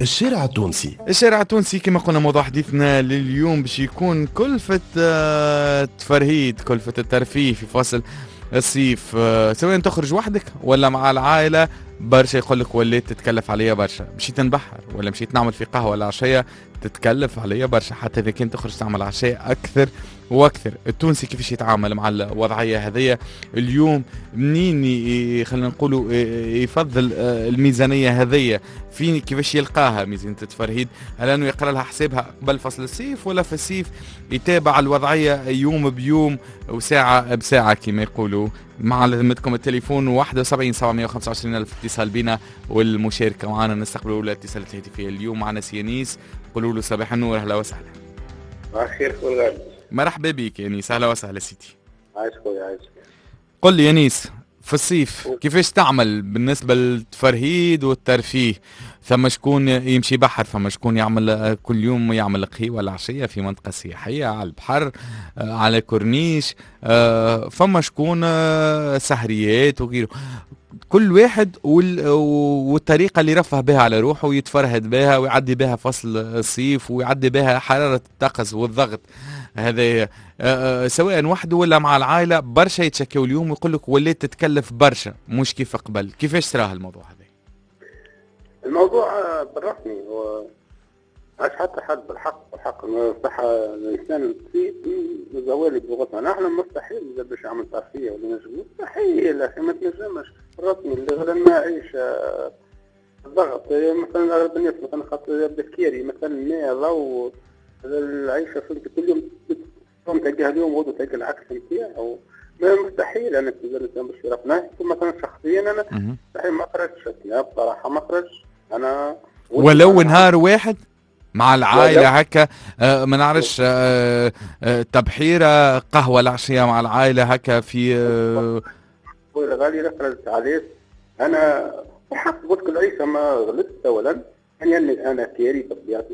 الشارع التونسي. الشارع التونسي كما قلنا موضوع حديثنا لليوم باش يكون كلفة التفرهيد، كلفة الترفيه في فصل الصيف، سواء تخرج وحدك ولا مع العائلة. برشا يقول لك وليت تتكلف عليا برشا، مشيت نبحر ولا مشيت نعمل في قهوة ولا عشية تتكلف عليا برشا، حتى إذا كنت تخرج تعمل عشاء أكثر وأكثر. التونسي كيفاش يتعامل مع الوضعية هذية اليوم؟ منين خلينا نقولوا يفضل الميزانية هذية؟ فين كيفاش يلقاها ميزانية التفرهيد؟ هل أنه يقرأ لها حسابها قبل فصل الصيف ولا في الصيف يتابع الوضعية يوم بيوم وساعة بساعة كما يقولوا؟ مع لذمتكم التليفون 71 725 ألف اتصال بنا والمشاركة معنا. نستقبلوا الاتصالات الهاتفية اليوم. معنا سيانيس، قولوا له صباح النور، أهلا وسهلا. صباح الخير خويا. مرحبا بك يانيس، أهلا وسهلا سيدي. عايش خويا عايش. قل لي يانيس، في الصيف كيفاش تعمل بالنسبة للتفرهيد والترفيه؟ ثم شكون يمشي بحر، ثم شكون يعمل كل يوم يعمل قهوة ولا عشية في منطقة سياحية على البحر على كورنيش، فما شكون سهريات وغيره. كل واحد والطريقة اللي رفه بها على روحه ويتفرهد بها ويعدي بها فصل الصيف ويعدي بها حرارة الطقس والضغط هذا، سواء وحده ولا مع العائلة. برشا يتشكوا اليوم ويقول لك وليت تتكلف برشا مش كيف قبل. كيفاش تراه الموضوع هذا؟ الموضوع بالرسمي هو عاش حتى حد بالحق، بالحق الصحة الإنسان في زوالي بلغتنا نحن مستحيل إذا باش يعمل ترفيه ولا نجم، مستحيل أخي ما تنجمش الرسمي اللي غير المعيشة الضغط. مثلا أغلب الناس مثلا خاطر يبدا كيري مثلا ماء ضوء العيشة، فهمت، كل يوم تلقاها اليوم غدوة تلقى العكس نتاعو. مستحيل أنا الإنسان باش يرفنا. مثلا شخصيا أنا مستحيل ما خرجتش بصراحة، ما خرجتش أنا ولو نهار واحد مع العائلة هكا، ما نعرفش، تبحيرة قهوة العشية مع العائلة هكا في غالي خرجت عليه أنا الحق. قلت العيشة ما غلطت أولا، يعني أنا كيري بطبيعتي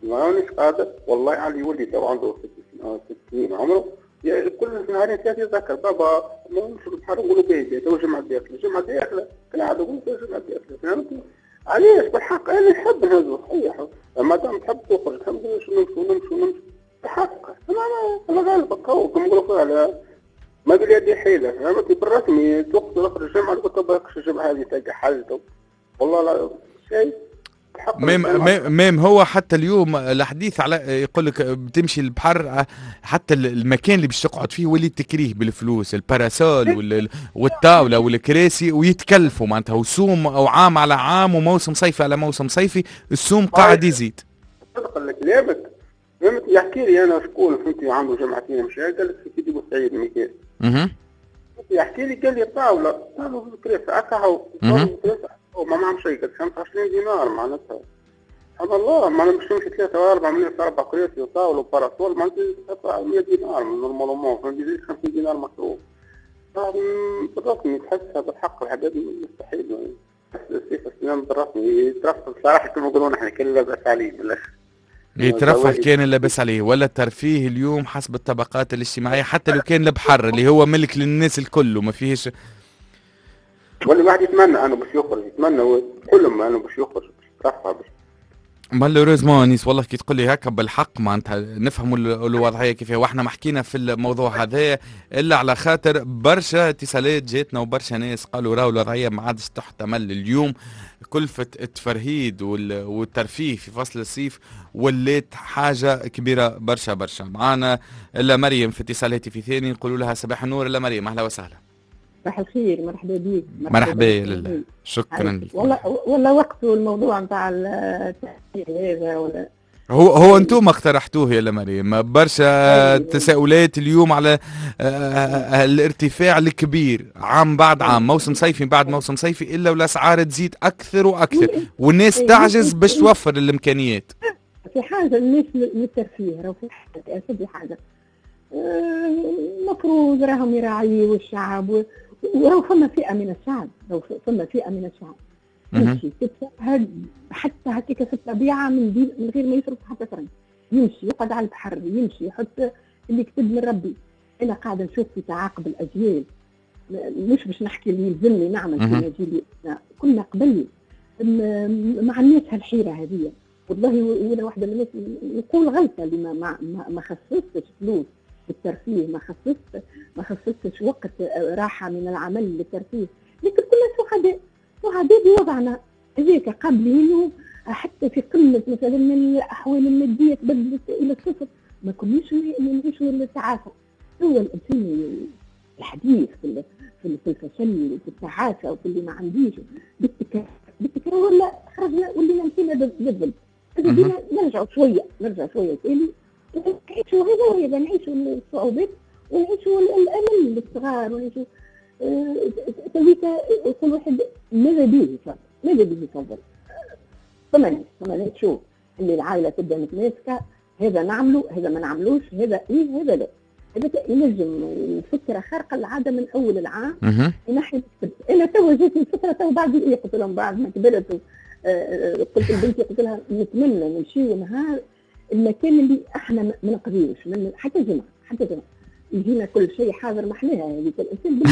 مانيش قادر والله. علي ولدي تو عنده 6 سنين عمره، يعني كل نهارين ثلاثة يتذكر بابا ما نمشي للبحر، نقولوا باهي تو جمعة داخلة، جمعة داخلة كالعادة نقولوا تو جمعة داخلة، فهمتني؟ علاش بالحق أنا نحب نهزو صحيح، ما دام تحب تخرج تحب نمشوا نمشوا نمشوا نمشوا بالحق. أنا غالب كما نقولوا على ما باليد حيلة، فهمتني؟ بالرسمي توقت نخرج الجمعة قلت بالك الجمعة هذه تلقى حاجة والله لا شيء. même هو حتى اليوم الحديث على يقول لك بتمشي البحر، حتى المكان اللي باش تقعد فيه ولي تكريه بالفلوس، ال parasol والطاوله والكراسي ويتكلفوا معناتها، وسوم او عام على عام وموسم صيفي على موسم صيفي السوم قاعد يزيد. صدق كلامك، فهمت؟ يحكي لي انا شكون فهمتي عنده جمعتين مشى قال لك في سيدي بوسعيد ميكال، يحكي لي قال لي طاولة كراسي هكا هو وما معهم شيء، قال 25 دينار معناتها. سبحان الله، معناتها باش تمشي 3 و 4 من 4 كراسي وطاولة و parasol معناتها تدفع 100 دينار normalement، فهمتي؟ يزيد 50 دينار مصروف. بالرسمي تحسها بالحق الحاجات مستحيل. السيف السنان بالرسمي يترفه بصراحة كما نقولوا نحن كان لاباس عليه بالاخر. يترفه كان لاباس عليه. ولا الترفيه اليوم حسب الطبقات الاجتماعية، حتى لو كان البحر اللي هو ملك للناس الكل وما فيهش، ولا الواحد يتمنى انه باش يخرج، يتمنى حلم انه باش يخرج باش يترفه باش. malheureusement انيس والله كي تقول لي هكا بالحق معناتها نفهموا الوضعية كيف، واحنا ما حكينا في الموضوع هذا الا على خاطر برشا اتصالات جاتنا وبرشا ناس قالوا راهو الوضعية ما عادش تحتمل اليوم. كلفه التفرهيد والترفيه في فصل الصيف ولات حاجة كبيرة برشا برشا. معانا الا مريم في اتصال هاتفي ثاني، نقولوا لها صباح النور. الا مريم، اهلا وسهلا. صباح الخير، مرحبا بك. مرحبا لله، شكرا لك. والله وقته الموضوع نتاع التحقيق هذا ولا هو انتم اقترحتوه يا مريم. برشا تساؤلات اليوم على الارتفاع الكبير عام بعد عام، موسم صيفي بعد موسم صيفي، الا والاسعار تزيد اكثر واكثر والناس تعجز باش توفر الامكانيات. في حاجة الناس للترفيه راهو في حاجة في حاجة المفروض راهم يراعيوا الشعب، وراهو فما فئة من الشعب، راهو فما فئة من الشعب يمشي تتفرهد حتى هكاك في الطبيعة من غير ما يصرف حتى فرنك، يمشي يقعد على البحر، يمشي يحط اللي كتب من ربي. انا قاعدة نشوف في تعاقب الاجيال مش باش نحكي اللي يلزمني نعمل في جيلي، كنا قبل ما عندناش هالحيره هذه. والله وانا واحدة من الناس نقول غلطه اللي ما خصصتش فلوس للترفيه، ما خصصتش وقت راحة من العمل للترفيه، لكن كنا سعداء بوضعنا هذاك قابلينه. حتى في قمة مثلا من الاحوال المادية تبدلت الى الصفر، ما كناش نعيشوا التعاسة. هو الانسان الحديث في الفشل وفي التعاسة وفي اللي ما عنديش بالتكرار، ولا خرجنا ولينا مشينا للظل. نرجعوا شوية تاني نعيشوا هذا، نعيشوا الصعوبات ونعيشوا الامل للصغار ونعيشوا تويكا. كل واحد ماذا به يفضل، ماذا به يفضل. فما شوف اللي العائلة تبدا متماسكة، هذا نعمله هذا ما نعملوش، هذا ايه هذا لا. هذا ينجم فكرة خارقة العادة من اول العام ينحي. انا تو جاتني الفكرة تو بعد ايه، قلت لهم بعد ما كبرت، قلت لبنتي قلت لها نتمنى نمشيو نهار المكان اللي احنا ما نقضيوش من حتى جمعه يجينا كل شيء حاضر. ما احناها هذيك الانسان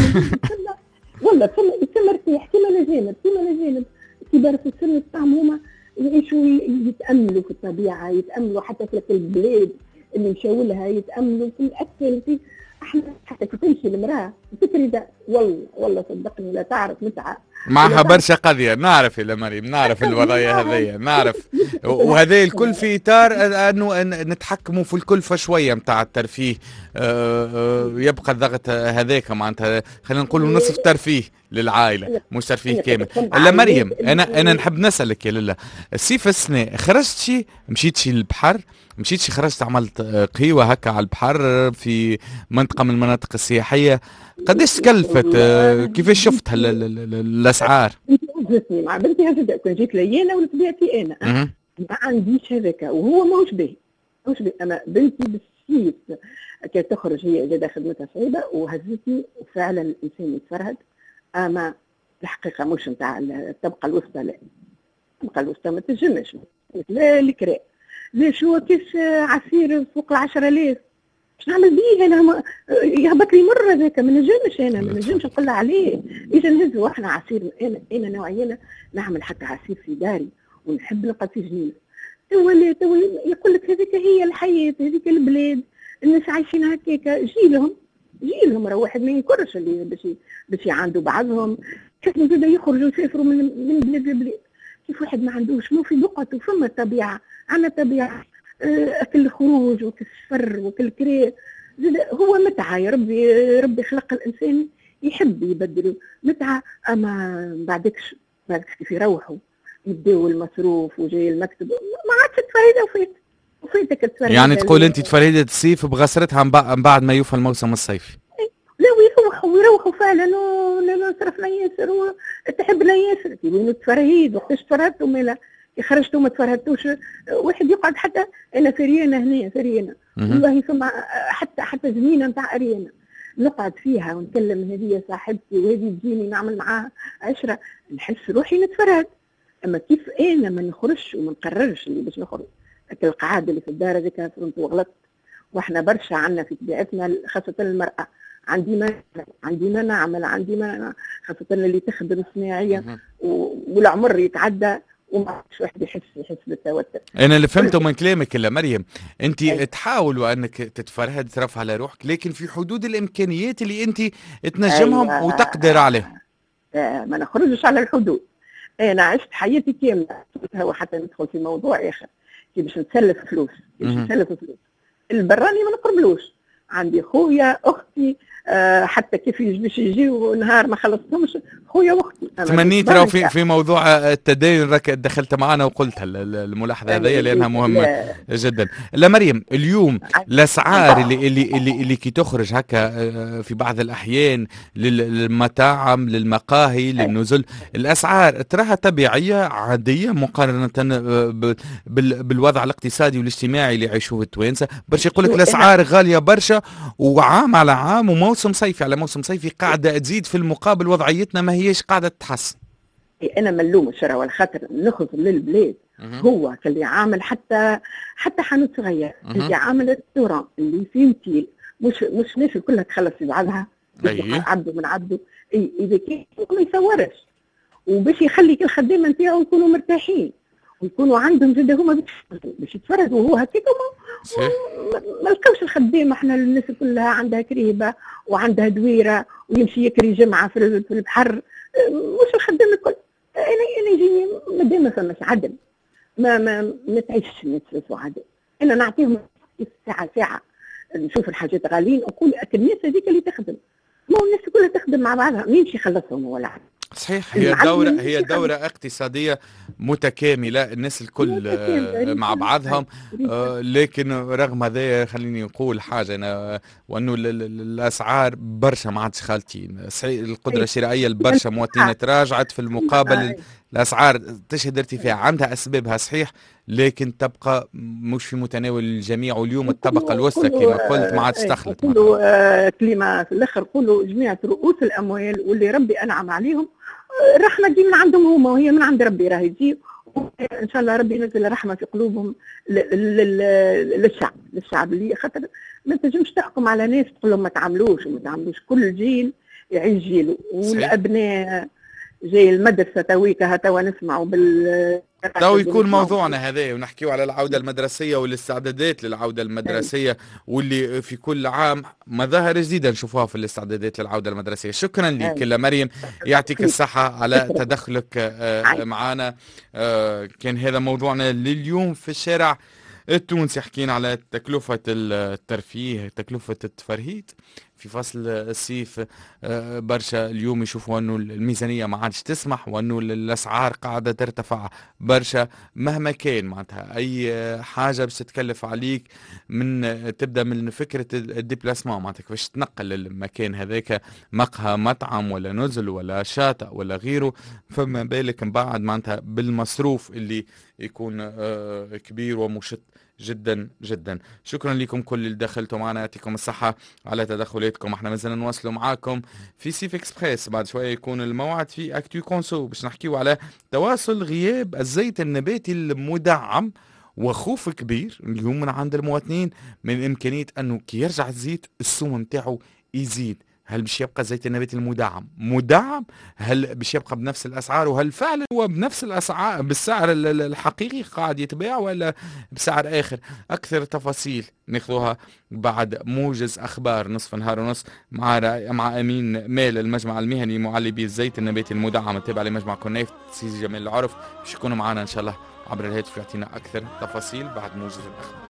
والله ثم مرتاح كيما الاجانب كبار في السن تاعهم هما يعيشوا يتاملوا في الطبيعة، يتاملوا حتى في البلاد اللي مشاو لها، يتاملوا في الاكل. في احنا حتى كي تمشي المراة تفكري والله صدقني لا تعرف متعه معها برشا قضية. نعرف يا مريم، نعرف الوضعية هذيا، نعرف. وهذا الكل في اطار انه نتحكموا في الكلفة شوية نتاع الترفيه. يبقى الضغط هذاك معناتها خلينا نقولوا نصف ترفيه للعائلة مش ترفيه كامل. لا مريم، انا نحب نسالك يا لاله، الصيف السنة خرجتي مشيتي للبحر، مشيتي خرجت عملت قهوة هكا على البحر في منطقة من المناطق السياحية، قداش تكلفت؟ كيفاش شفت الاسعار؟ هزتني مع بنتي هزت، كان جيت لي انا ولا طبيعتي انا ما عنديش هذاك، وهو ماهوش باهي. اما بنتي بالسيف كي تخرج هي زاد خدمتها صعيبة وهزتني، وفعلا الانسان يتفرهد. اما الحقيقة مش نتاع الطبقة الوسطى، لا الطبقة الوسطى ما تنجمش، لا الكراء لا شو كيس عصير فوق 10,000 باش نعمل بيه انا، يهبط لي مرة ذاك ما نجمش، انا ما نجمش نقول عليه. اذا نهزوا احنا عصير، انا نوعية نعمل حتى عصير في داري ونحب نلقى في جنينة. تو يقول لك هذيك هي الحياة، هذيك البلاد، الناس عايشين هكاك. جيلهم راه واحد ما ينكرش اللي باش يعاندوا بعضهم، كيف زاد يخرجوا يسافروا من بلاد لبلاد. كيف واحد ما عندوش مو في بقعته، فما طبيعة، عندنا طبيعة اكل الخروج وكل السفر وكل الكري هو متعه. يا ربي خلق الانسان يحب يبدل متعه. اما بعدكش كيف يروحوا يبداو المصروف وجاي المكتب، ما عادش تفريده وفيتك التفريده. يعني تقول انت تفريده الصيف بغسرتها من بعد ما يوفى الموسم الصيفي. لا ويروحوا فعلا، صرفنا ياسر وتحبنا ياسر، وين التفرهيد وقتاش تفرهدتوا؟ مالا كي خرجتوا ما تفرهدتوش. واحد يقعد حتى انا في ريانه هنا في ريانه والله فما حتى زمينه نتاع ريانه نقعد فيها ونكلم هذه صاحبتي وهذه تجيني نعمل معاها 10، نحس روحي نتفرهد. اما كيف انا ما نخرجش وما نقررش اللي باش نخرج، القعاده اللي في الدار هذيك فهمت وغلط. واحنا برشا عندنا في طبيعتنا خاصة المراة، عندي ما نعمل، عندي ما، خاصة اللي تخدم صناعية والعمر يتعدى وما عادش واحد يحس بالتوتر. انا اللي فهمته من كلامك يا مريم، انت تحاول انك تتفرهد ترفع على روحك، لكن في حدود الامكانيات اللي انت تنجمهم. أيوة. وتقدر عليهم. ما نخرجش على الحدود. انا عشت حياتي كاملة، وحتى ندخل في موضوع اخر، كي باش نتسلف فلوس، البراني ما نقربلوش. عندي خويا اختي، حتى كيف باش يجيو نهار ما خلصتهمش خويا واختي. تمنيت راهو في موضوع التدين راك دخلت معنا وقلت الملاحظة هذه لانها مهمة جدا. لا مريم، اليوم الاسعار اللي اللي اللي, اللي كي تخرج هكا في بعض الاحيان للمطاعم للمقاهي للنزل، الاسعار تراها طبيعية عادية مقارنة بالوضع الاقتصادي والاجتماعي اللي يعيشوه التوانسة؟ برشا يقول لك الاسعار غالية برشا، وعام على عام وموسم صيفي على موسم صيفي قاعدة تزيد، في المقابل وضعيتنا ما هيش قاعدة تتحسن. انا ملوم الشرع والخاطر نخرج للبلاد. هو اللي عامل حتى حانوت صغير، اللي عامل restaurant، اللي في اوتيل، مش الناس كلها تخلص في بعضها. عبده من عبده. اي اذا كان ما يصورش وباش يخلي الخدامة نتاعو يكونوا مرتاحين ويكونوا عندهم زاد هما باش يتفرجوا، وهو هكاك ما لقاوش الخدامة. احنا الناس كلها عندها كريبه وعندها دويره ويمشي يكري جمعه في البحر، مش الخدام الكل. انا يجيني مادام ما فماش عدل ما ما ما تعيشش الناس في عدل. انا نعطيهم ساعة ساعة نشوف الحاجات غاليين نقول الناس هذيك اللي تخدم، ما هو الناس كلها تخدم مع بعضها، مين باش يخلصهم ولا عدل؟ صحيح، هي دورة، هي دورة اقتصادية متكاملة، الناس الكل مع بعضهم. لكن رغم هذا خليني نقول حاجة أنا، وأنه الأسعار برشا ما عادش خالتين. صحيح القدرة الشرائية لبرشا مواطنين تراجعت، في المقابل الأسعار تشهد ارتفاع، عندها أسبابها صحيح، لكن تبقى مش في متناول الجميع. واليوم الطبقة الوسطى كما قلت ما عادش تخلط. قولوا كلمة في الآخر، قولوا جميع رؤوس الأموال واللي ربي أنعم عليهم، الرحمة تجي من عندهم هما، وهي من عند ربي راهي تجي، إن شاء الله ربي ينزل الرحمة في قلوبهم للشعب، للشعب اللي خاطر ما تنجمش تحكم على ناس تقول لهم ما تعملوش وما تعملوش. كل جيل يعيش جيله، والأبناء جاي المدرسة تويكا توا نسمعوا بال تو يكون موضوعنا هذا، ونحكيو على العودة المدرسية والاستعدادات للعودة المدرسية، واللي في كل عام مظاهر جديدة نشوفوها في الاستعدادات للعودة المدرسية. شكرا لك مريم، يعطيك الصحة على تدخلك معنا. كان هذا موضوعنا لليوم في الشارع التونسي، حكينا على تكلفة الترفيه، تكلفة التفرهيد في فصل الصيف. برشا اليوم يشوفوا أنه الميزانية ما عادش تسمح، وأنه الأسعار قاعدة ترتفع برشا مهما كان. معناتها أي حاجة باش تتكلف عليك، من تبدأ من فكرة ال déplacement، معناتها كيفاش تنقل المكان هذاك، مقهى، مطعم، ولا نزل، ولا شاطئ، ولا غيره، فما بالك من بعد معناتها بالمصروف اللي يكون كبير ومشت جدا جدا. شكرا لكم كل اللي دخلتوا معنا، يعطيكم الصحة على تدخلاتكم. احنا مازلنا نواصلوا معاكم في سيف اكسبريس، بعد شوية يكون الموعد في Actu Conso باش نحكيو على تواصل غياب الزيت النباتي المدعم، وخوف كبير اليوم من عند المواطنين من إمكانية أنه كي يرجع الزيت السوم نتاعو يزيد. هل باش يبقى الزيت النباتي المدعم مدعم؟ هل باش يبقى بنفس الاسعار؟ وهل فعلا هو بنفس الاسعار بالسعر الحقيقي قاعد يتباع ولا بسعر اخر؟ اكثر تفاصيل ناخذوها بعد موجز اخبار نصف نهار ونص مع امين مال المجمع المهني معلبي الزيت النباتي المدعم التابع لمجمع كونيف سيدي جمال العرف، باش يكونوا معنا ان شاء الله عبر الهاتف يعطينا اكثر تفاصيل بعد موجز الاخبار.